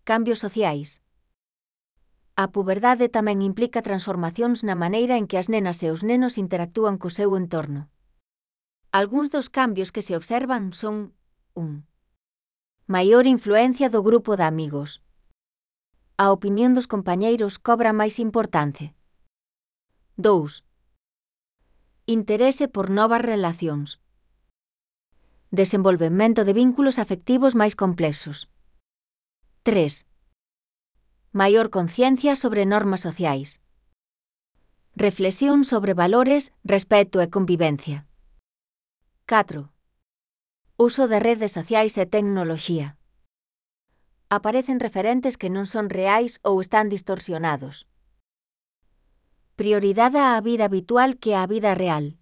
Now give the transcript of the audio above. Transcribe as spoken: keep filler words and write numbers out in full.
Cambios sociais. A puberdade tamén implica transformacións na maneira en que as nenas e os nenos interactúan co seu entorno. Algúns dos cambios que se observan son un. Maior influencia do grupo de amigos. A opinión dos compañeiros cobra máis importancia. dous. Interese por novas relacións. Desenvolvemento de vínculos afectivos máis complexos. tres. Maior conciencia sobre normas sociais. Reflexión sobre valores, respecto e convivencia. catro. Uso de redes sociais e tecnoloxía. Aparecen referentes que non son reais ou están distorsionados. Prioridade á vida habitual que á vida real.